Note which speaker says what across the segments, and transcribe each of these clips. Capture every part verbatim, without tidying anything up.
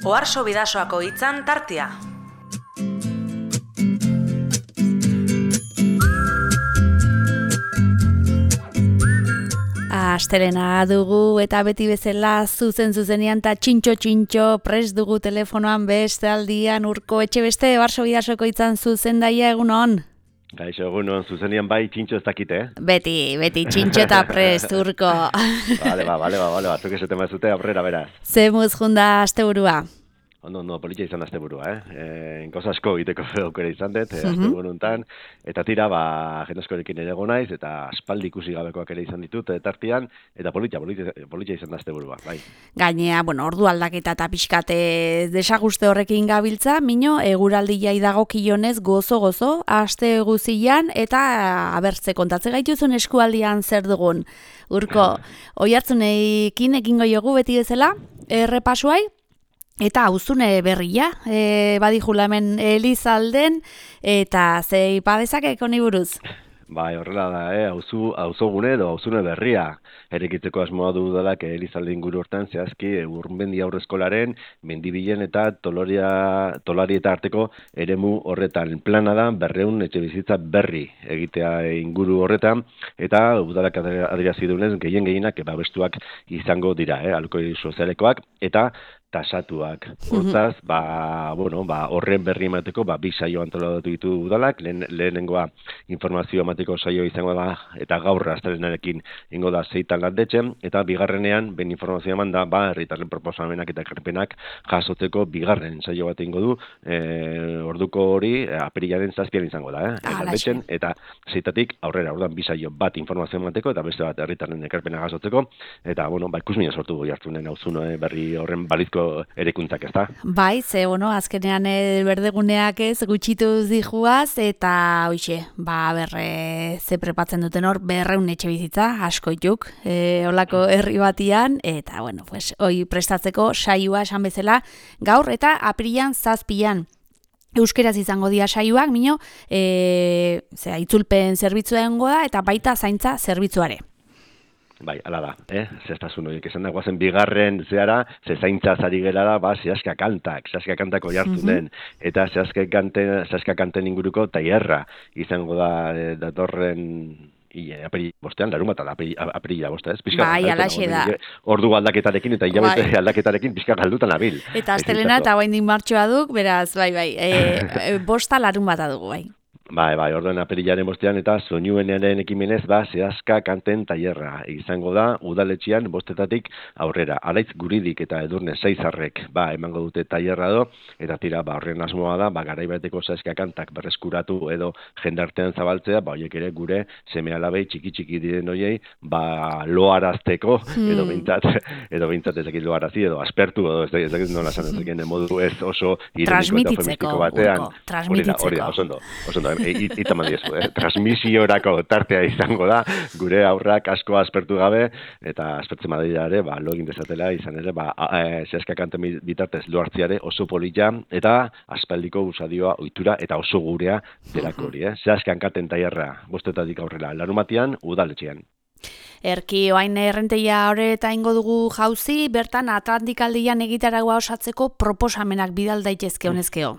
Speaker 1: Oharso Bidasoako hitzan tartea. Astelena dugu eta beti bezala zuzen zuzenean eta txintxo-txintxo prest dugu telefonoan beste aldian Urko Etxebeste Oharso Bidasoko hitzan zuzendaia egunon.
Speaker 2: Gaixo, egunon, zuzenian bai txintxo ez dakite, eh?
Speaker 1: Beti, beti txintxo eta prest, Urko.
Speaker 2: Bale, ba, bale, ba, bale, batzuk esete mazute aurrera, beraz.
Speaker 1: Zemuz junda asteburua.
Speaker 2: Ondo, ondo, politxa izan da asteburua, eh? E, Inkoz asko egiteko aukera izan dut, eh, asteburu hontan, eta tira, ba, jendaskorekin ere naiz, eta aspaldi ikusi gabekoak ere izan ditut, tartean, eta politxa, politxa, politxa izan da asteburua, bai.
Speaker 1: Gainea, bueno, ordu aldaketa eta pixkate desaguste horrekin gabiltza, mino, eguraldia idagokionez gozo-gozo, aste guzian, eta abertze kontatze gaituzun eskualdian zer dugun. Urko, oihartzunekin ekingo jogu beti bezala, errepasuai, eta auzune berria, e, badijula hemen Elizalden, eta zei padezak honi buruz?
Speaker 2: Bai, horrela da, eh? auzu, auzogune edo auzune berria. Erekitzeko asmoa du dalak Elizalde inguru hortan zehazki Urmendi Aurreskolaren Mendibilen eta Toloria, Tolari eta arteko eremu horretan. Plana da berreun etxebizitza berri egitea inguru horretan, eta udalak adierazi duenez gehien gehienak babestuak izango dira, eh? Alokoi sozialekoak eta tasatuak. Hortaz, ba, bueno, ba, horren berri emateko, ba, bi saio antolatu ditu udalak, lehen, lehenengoa informazio emateko saio izango da, eta gaur astelenarekin ingo da zeitan landetzen, eta bigarrenean, ben informazioa eman da, ba, herritarren proposamenak eta ekarpenak jasotzeko bigarren saio bat ingo du, e, orduko hori, apirilaren zazpian izango da, eh? Landetzen, eta zeitatik aurrera, orduan, bi saio bat informazio emateko, eta beste bat herritarren ekarpenak jasotzeko, eta, bueno, ba, ikusmina sortu goi hartunen hauzun berri horren balizko erekuntzak, ez da?
Speaker 1: Bai, ze, bueno, azkenean e, berdeguneak ez gutxituz dijuaz, eta hoxe, ba, berre, ze prepatzen duten hor, berreun etxe bizitza, asko ituk, e, olako herri batian, eta, bueno, pues, hoi prestatzeko saioa esan bezala, gaur eta apirilan zazpian. Euskeraz izango dira saioak, mino, e, zera, itzulpen zerbitzua dengo da, eta baita zaintza zerbitzuare.
Speaker 2: Bai, ala da, eh? Zestasun horiek esan da, guazen bigarren zeara, ze zaintza zari gela da, ba, zehazka kantak, zehazka kantako jartunen, eta zehazka kanten, zehazka kanten inguruko tailerra izango da e, datorren aperi bostean, larun bat, aperila bosta, ez? Pizka,
Speaker 1: bai, alaxe da.
Speaker 2: Ordu aldaketarekin eta hilabete bai. aldaketarekin pizka galdutan abil.
Speaker 1: Eta astelena eta guain din martxoa duk, beraz, bai, bai, e, bosta larun bat adugu, bai.
Speaker 2: Bai, bai, orduan apirilaren bostean eta soinuenaren ekimenez, ba, zehazka kanten tailerra izango da, udaletxean bostetatik aurrera. Alaitz Guridik eta Edurne Seizarrek, ba, emango dute tailerra do, eta tira, ba, horren asmoa da, ba, garaibateko zehazka kantak berreskuratu edo jendartean zabaltzea, ba, horiek ere gure seme alabei txiki-txiki diren horiei, ba, loarazteko, hmm. edo bintzat, edo bintzat ezakit loarazi, edo aspertu, edo ez dakit nola esan ezakit, modu ez oso ironiko eta feministiko batean.
Speaker 1: Transmititzeko,
Speaker 2: hori da, oso ondo, oso ondo. Itaman diezu, eh? Transmisiorako tartea izango da, gure aurrak asko aspertu gabe, eta aspertzen badira ere, ba, lo egin dezatela, izan ere, ba, e, zehazka kanten bitartez loartziare oso polita, eta aspaldiko usadioa ohitura eta oso gurea delako hori, eh? Zehazka kanten tailerra, bostetatik aurrera, larumatian, udaletxean.
Speaker 1: Erki, oain errenteia horreta ingo dugu jauzi, bertan Atlantikaldian egitaragua osatzeko proposamenak bidal daitezke honezkeo.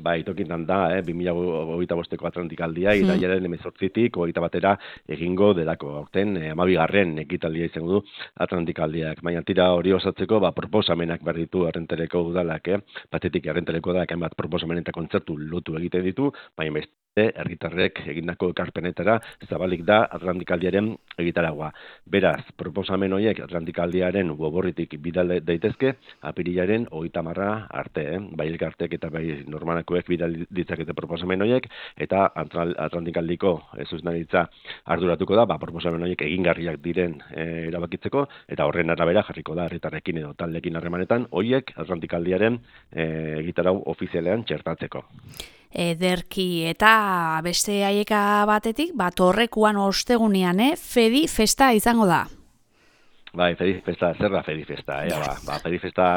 Speaker 2: Bai, tokintan da, eh, bi mila hogeita bosteko Atlantikaldia, hmm. irailaren hemezortzitik hogeita batera egingo delako. Aurten, eh, hamabigarren ekitaldia izango du Atlantikaldiak. Baina tira hori osatzeko, ba, proposamenak berditu Errentereko udalak, eh? Batetik Errentereko udalak hainbat proposamen eta kontzertu lotu egiten ditu, baina beste herritarrek egindako ekarpenetara zabalik da Atlantikaldiaren egitaragua. Beraz, proposamen horiek Atlantikaldiaren goborritik bidal daitezke, apirilaren hogeita marra arte, eh? Bai elkartek eta bai normalakoek bidal ditzakete proposamen horiek, eta Atlantikaldiko zuzendaritza arduratuko da, ba, proposamen horiek egingarriak diren e, erabakitzeko, eta horren arabera jarriko da herritarrekin edo taldekin harremanetan, horiek Atlantikaldiaren e, egitarau ofizialean txertatzeko.
Speaker 1: Ederki, eta beste haieka batetik, bat horrekuan ostegunean, eh? Fedi festa izango da.
Speaker 2: Bai, Fedi Festa, zer da Fedi Festa, eh? Ba, ba, Fedi Festa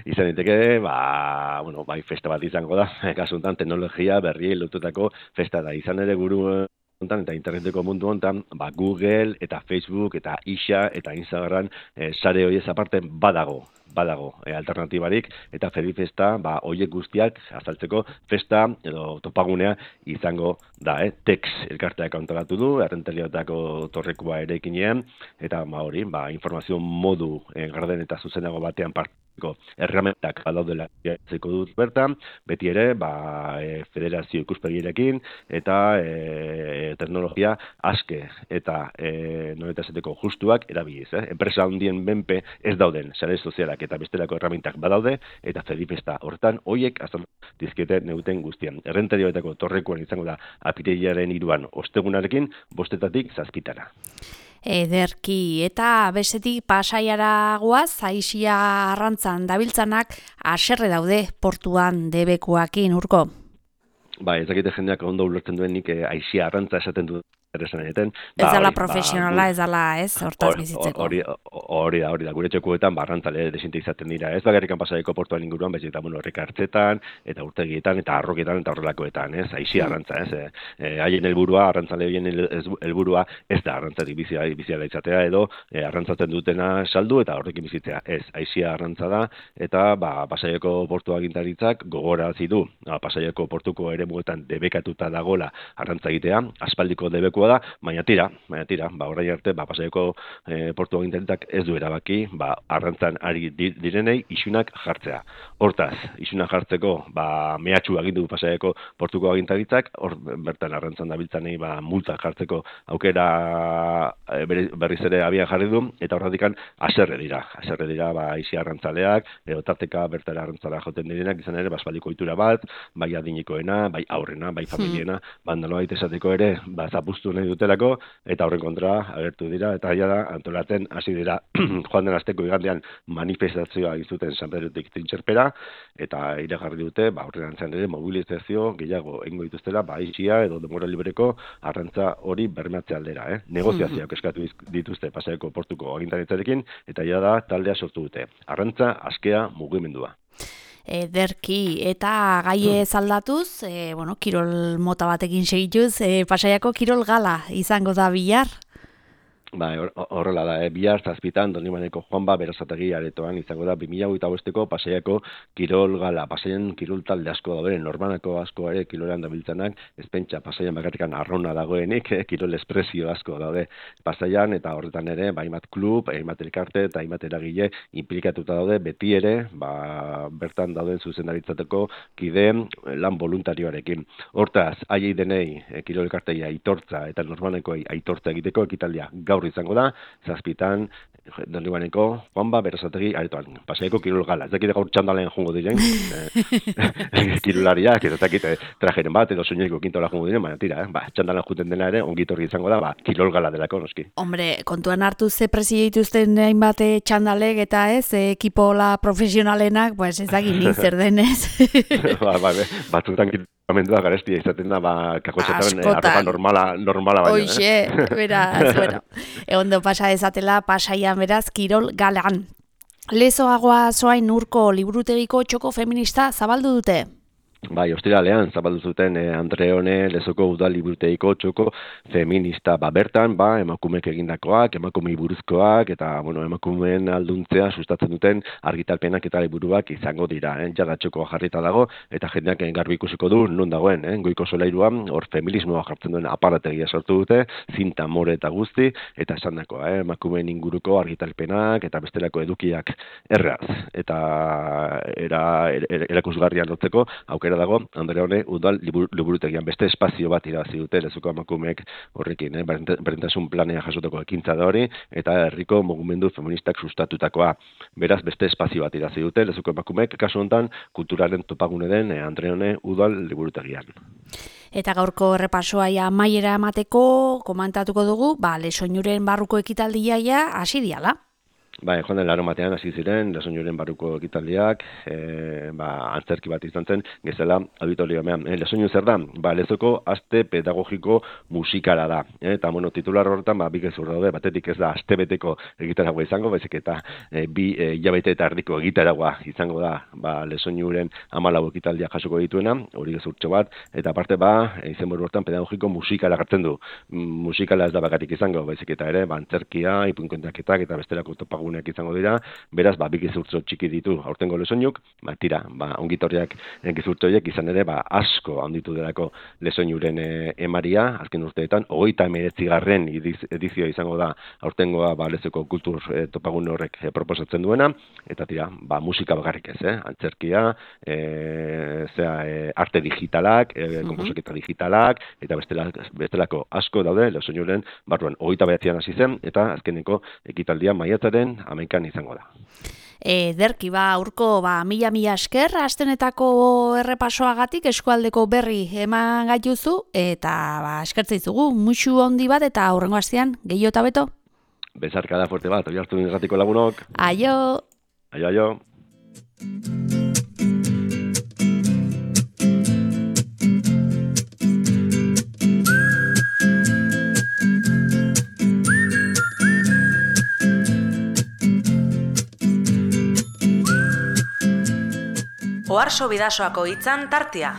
Speaker 2: izan diteke, ba, bueno, bai, festa bat izango da, kasuntan teknologia berri lotutako festa da. Izan ere guru hontan eta interneteko mundu hontan, ba, Google eta Facebook eta Ixa eta Instagram e, sare horiez aparte badago badago e, alternatibarik, eta Fedifesta ba, hoiek guztiak azaltzeko festa edo topagunea izango da, eh? Tex elkarteak antolatu du, errenteriotako torrekua ere ekinean, eta ba, hori, ba, informazio modu e, garden eta zuzenago batean partiko erramentak badaudela zeko dut bertan, beti ere ba, e, federazio ikuspegirekin eta e, teknologia aske eta e, noretas eteko justuak erabiliz. Eh? Enpresa handien benpe ez dauden sare sozialak eta bestelako erramintak badaude, eta Fedifesta horretan hoiek azal dizkete neuten guztian. Errenterioetako torrekuan izango da apirilaren hiruan ostegunarekin bostetatik zazpitara.
Speaker 1: Ederki, eta bestetik Pasaiara goaz, Aisia arrantzan dabiltzanak haserre daude portuan debekuakin, Urko.
Speaker 2: Ba, ez dakite jendeak ondo ulertzen duen nik Aisia arrantza esaten du esan
Speaker 1: ez dala profesionala, ez dala, ez, hortaz bizitzeko.
Speaker 2: Hori da, hori da, gure txokuetan barrantzale desinte izaten dira, ez bakarrikan Pasaiako portuan inguruan, bez eta bueno, horrek hartzetan, eta urtegietan, eta arroketan, eta horrelakoetan, ez, Aisia arrantza, ez, e, haien helburua, arrantzale horien helburua, ez da arrantzatik bizia, biziala izatea, edo e, arrantzatzen dutena saldu, eta horrekin bizitzea, ez, Aisia arrantza da, eta ba, Pasaiako portua agintaritzak gogorarazi du, ba, Pasaiako portuko ere muetan debekatuta dagola arrantza egitea, aspaldiko debeku da, baina tira, baina tira, ba, orain arte, ba, Pasaiako e, portu agintaritzak ez du erabaki, ba, arrantzan ari direnei isunak jartzea. Hortaz, isunak jartzeko, ba, mehatxu agindu Pasaiako portuko agintaritzak, hor bertan arrantzan dabiltzanei, ba, multak jartzeko aukera e, berriz ere abian jarri du, eta horretikan haserre dira, haserre dira, ba, isi arrantzaleak, edo tarteka bertara arrantzara joten direnak, izan ere, baspaldiko ohitura bat, bai adinikoena, bai aurrena, bai familiena, hmm. bandalo baita esateko ere, ba, zapustu nahi dutelako, eta horren kontra agertu dira, eta ja da, antolatzen hasi dira joan den asteko igandean manifestazioa izuten San Pedrotik Trintxerpera, eta iragarri dute, ba, horren antzan ere mobilizazio gehiago egingo dituztela, ba, Aisia edo denbora libreko arrantza hori bermatze aldera, eh? Negoziazioak eskatu dituzte Pasaiako portuko agintaritzarekin, eta ja da taldea sortu dute. Arrantza askea mugimendua.
Speaker 1: Ederki, eta gaie zaldatuz, e, bueno, kirol mota batekin segituz, e, Pasaiako kirol gala izango da bihar?
Speaker 2: Ba, horrela da, eh? Bihar zazpitan Donibaneko Juanba Berasategi aretoan izango da bi mila hogeita bosteko Pasaiako kirol gala. Pasaian kirol talde asko daude, normanako asko ere kirolean dabiltzanak, ez pentsa Pasaian bakarrikan arrona dagoenik, eh? Kirol espresio asko daude Pasaian, eta horretan ere, ba, hainbat klub, hainbat elkarte eta hainbat eragile implikatuta daude, beti ere, ba, bertan dauden zuzendaritzateko kideen lan voluntarioarekin. Hortaz, haiei denei eh, kirol elkartei aitortza eta normanekoei aitortza egiteko ekitaldia gaur izango da, zazpitan Donibaneko Juanba Berasategi aretoan. Pasaiako kirol gala. Ez dakite gaur txandalen jongo diren, eh, kirolariak, ez dakite trajeren bat, edo soñoiko kintola jongo diren, baina tira, eh? Ba, txandalan juten dena ere, ongitorri izango da, ba, kirol gala delako, noski.
Speaker 1: Hombre, kontuan hartu ze presi dituzten hainbat txandalek eta ez, ekipola profesionalenak, pues ez dakit ni zer denez.
Speaker 2: ba, ba, batzutan amendua garestia izaten da, ba, kakotxetaren eh, arropa normala, normala baino.
Speaker 1: Hoxe, eh? beraz, bueno, egondo pasa dezatela, Pasaian beraz, kirol galan. Lezoagoa zoain Urko liburutegiko txoko feminista zabaldu dute?
Speaker 2: Bai, ostiralean zabaldu zuten eh, Andreone Lezoko udal liburutegiko txoko feminista, ba, bertan, ba, emakumeek egindakoak, emakumei buruzkoak, eta, bueno, emakumeen alduntzea sustatzen duten argitalpenak eta liburuak izango dira, eh? Jada txokoa jarrita dago, eta jendeak garbi ikusiko du non dagoen, eh? Goiko solairuan, hor feminismoa jartzen duen aparategia sortu dute, zinta, more eta guzti, eta esandakoa, eh? Emakumeen inguruko argitalpenak, eta bestelako edukiak erraz, eta era, era, erakusgarrian lotzeko, aukera dago, Andreone udal liburutegian beste espazio bat irabazi dute Lezoko emakumeek horrekin, eh? Berdintasun planea jasotako ekintza da hori, eta herriko mugimendu feministak sustatutakoa. Beraz, beste espazio bat irabazi dute Lezoko emakumeek, kasu honetan, kulturaren topagune den eh, Andreone udal liburutegian.
Speaker 1: Eta gaurko errepasoa ja amaiera emateko, komantatuko dugu, ba, Lesoinuren barruko ekitaldia ja hasi diala.
Speaker 2: Ba, joan den larunbatean hasi ziren, Lesoinuren barruko ekitaldiak, e, ba, antzerki bat izan zen, gezela auditoriomean. E, Lesoinu zer da? Ba, lezoko aste pedagogiko musikala da. E, eta, bueno, titular horretan, ba, bi gezur daude, batetik ez da astebeteko egitaragua izango, baizik eta e, bi e, hilabete eta erdiko egitaragua izango da, ba, Lesoinuren hamalau ekitaldia jasoko dituena, hori gezurtxo bat, eta aparte, ba, izenburu horretan pedagogiko musikala gartzen du. Musikala ez da bakarik izango, baizik eta ere, ba, antzerkia, ipuinkontaketak eta bestelako topagun izango dira, beraz, ba, bi gezurtzo txiki ditu aurtengo Lesoinuk, ba, tira, ba, ongitorriak gezurtzo horiek izan ere, ba, asko handitu delako Lesoinuren e, emaria, azken urteetan, hogeita hemeretzi garren edizioa izango da aurtengoa, ba, lezeko kultur e, topagun horrek e, proposatzen duena, eta tira, ba, musika bakarrik ez, eh? Antzerkia, e, zera, e, arte digitalak, e, konposaketa digitalak, eta bestelako, bestelako asko daude Lesoinuren barruan, hogeita behatzean hasi zen, eta azkeneko ekitaldia maiatzaren hamaikan izango da.
Speaker 1: Ederki, ba, urko, ba, mila-mila esker, astenetako errepasoagatik eskualdeko berri eman gaituzu, eta ba, eskertze izugu, musu handi bat, eta aurrengo astean, gehiago eta beto?
Speaker 2: Bezarkada fuerte bat, hori hartu irratiko lagunok.
Speaker 1: Aio!
Speaker 2: Aio, aio!
Speaker 3: Oharso Bidasoako hitzan tartea.